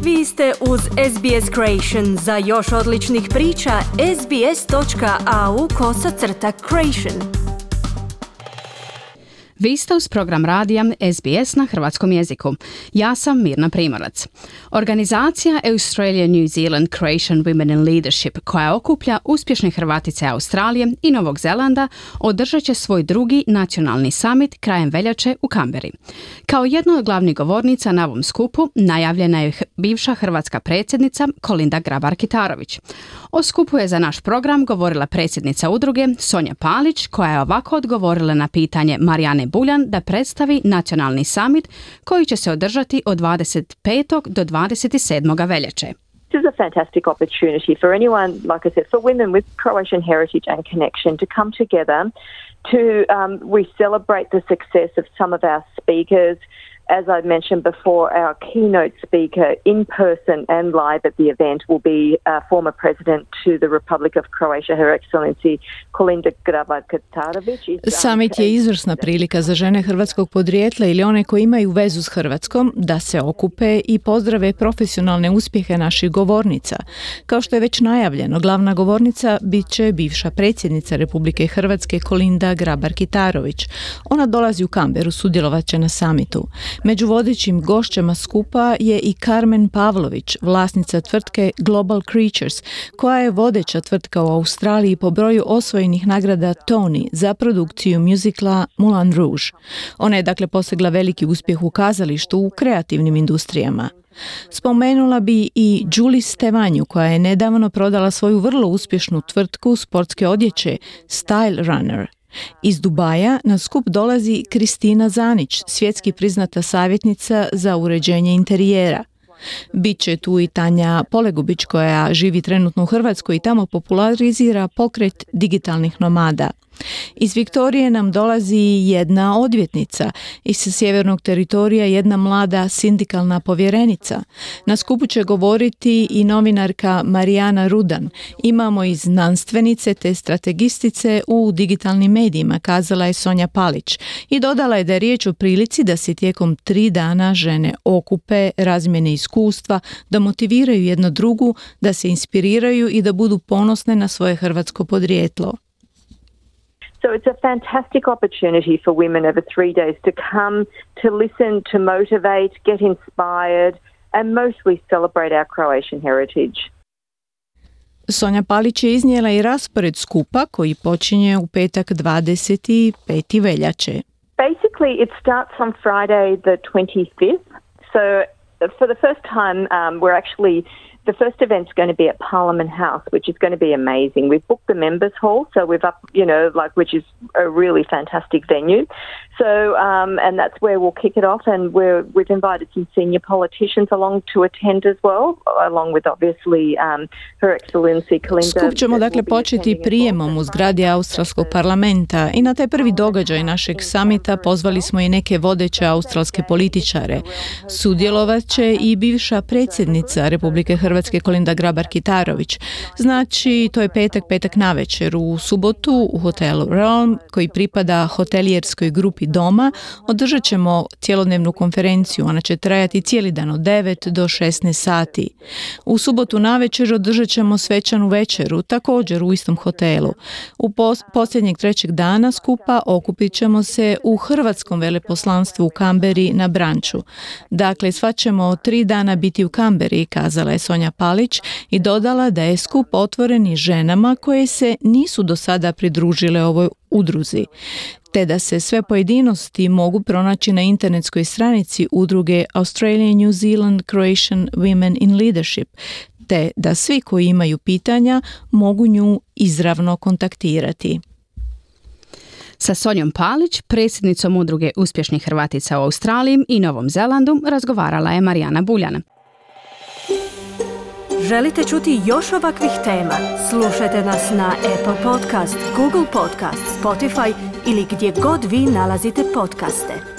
Vi ste uz SBS Creation. Za još odličnih priča, sbs.au/creation. Vi ste uz program radija SBS na hrvatskom jeziku. Ja sam Mirna Primorac. Organizacija Australia New Zealand Croatian Women in Leadership, koja okuplja uspješne Hrvatice Australije i Novog Zelanda, održat će svoj drugi nacionalni summit krajem veljače u Canberri. Kao jedna od glavnih govornica na ovom skupu najavljena je bivša hrvatska predsjednica Kolinda Grabar-Kitarović. O skupu je za naš program govorila predsjednica udruge Sonja Palić, koja je ovako odgovorila na pitanje Marijane Buljan da predstavi nacionalni summit koji će se održati od 25. do 27. veljače. This is a fantastic opportunity for anyone, like I said, for women with Croatian heritage and connection to come together to we celebrate the success of some of our speakers. As I mentioned before, our keynote speaker in person and live at the event will be former president to the Republic of Croatia, Her Excellency Kolinda Grabar-Kitarović. Summit je izvrsna prilika za žene hrvatskog podrijetla ili one koji imaju vezu s Hrvatskom da se okupe i pozdrave profesionalne uspjehe naših govornica. Kao što je već najavljeno, glavna govornica bit će bivša predsjednica Republike Hrvatske Kolinda Grabar-Kitarović. Ona dolazi u Canberru, sudjelovat će na summitu. Među vodećim gošćama skupa je i Carmen Pavlović, vlasnica tvrtke Global Creatures, koja je vodeća tvrtka u Australiji po broju osvojenih nagrada Tony za produkciju muzikla Moulin Rouge. Ona je dakle postigla veliki uspjeh u kazalištu u kreativnim industrijama. Spomenula bi i Julie Stevanju, koja je nedavno prodala svoju vrlo uspješnu tvrtku sportske odjeće Style Runner. Iz Dubaja na skup dolazi Kristina Zanić, svjetski priznata savjetnica za uređenje interijera. Biće tu i Tanja Polegubić, koja živi trenutno u Hrvatskoj i tamo popularizira pokret digitalnih nomada. Iz Viktorije nam dolazi jedna odvjetnica, iz sjevernog teritorija jedna mlada sindikalna povjerenica. Na skupu će govoriti i novinarka Marijana Rudan. Imamo i znanstvenice te strategistice u digitalnim medijima, kazala je Sonja Palić. I dodala je da je riječ o prilici da se tijekom 3 dana žene okupe, razmjene iskustva, da motiviraju jedno drugu, da se inspiriraju i da budu ponosne na svoje hrvatsko podrijetlo. So it's a fantastic opportunity for women over 3 days to come, to listen, to motivate, get inspired and mostly celebrate our Croatian heritage. Sonja Palić je iznijela i raspored skupa koji počinje u petak 25. veljače. Basically it starts on Friday the 25th. So for the first time we're actually the first event's going to be at Parliament House, which is going to be amazing. We've booked the members hall, so we've up, which is a really fantastic venue. So, and that's where we'll kick it off, and we've invited some senior politicians along to attend as well, along with obviously Her Excellency Kolinda. Skup ćemo dakle početi prijemom u zgradi Australskog parlamenta i na taj prvi događaj našeg samita pozvali smo i neke vodeće australske političare. Sudjelovat će i bivša predsjednica Republike Hrvatske Kolinda Grabar-Kitarović. Znači, to je petak navečer. U subotu u hotelu Realm, koji pripada hotelijerskoj grupi Doma, održat ćemo cjelodnevnu konferenciju. Ona će trajati cijeli dan od 9 do 16 sati. U subotu navečer održat ćemo svečanu večeru, također u istom hotelu. U posljednjeg 3. dana skupa okupit ćemo se u hrvatskom veleposlanstvu u Canberri na branču. Dakle, sva ćemo 3 dana biti u Canberri, kazala je Sonja Palić i dodala da je skup otvoren i ženama koje se nisu do sada pridružile ovoj udruzi, te da se sve pojedinosti mogu pronaći na internetskoj stranici udruge Australia New Zealand Croatian Women in Leadership, te da svi koji imaju pitanja mogu nju izravno kontaktirati. Sa Sonjom Palić, predsjednicom udruge uspješnih Hrvatica u Australiji i Novom Zelandu, razgovarala je Marijana Buljan. Želite čuti još ovakvih tema? Slušajte nas na Apple Podcast, Google Podcast, Spotify ili gdje god vi nalazite podcaste.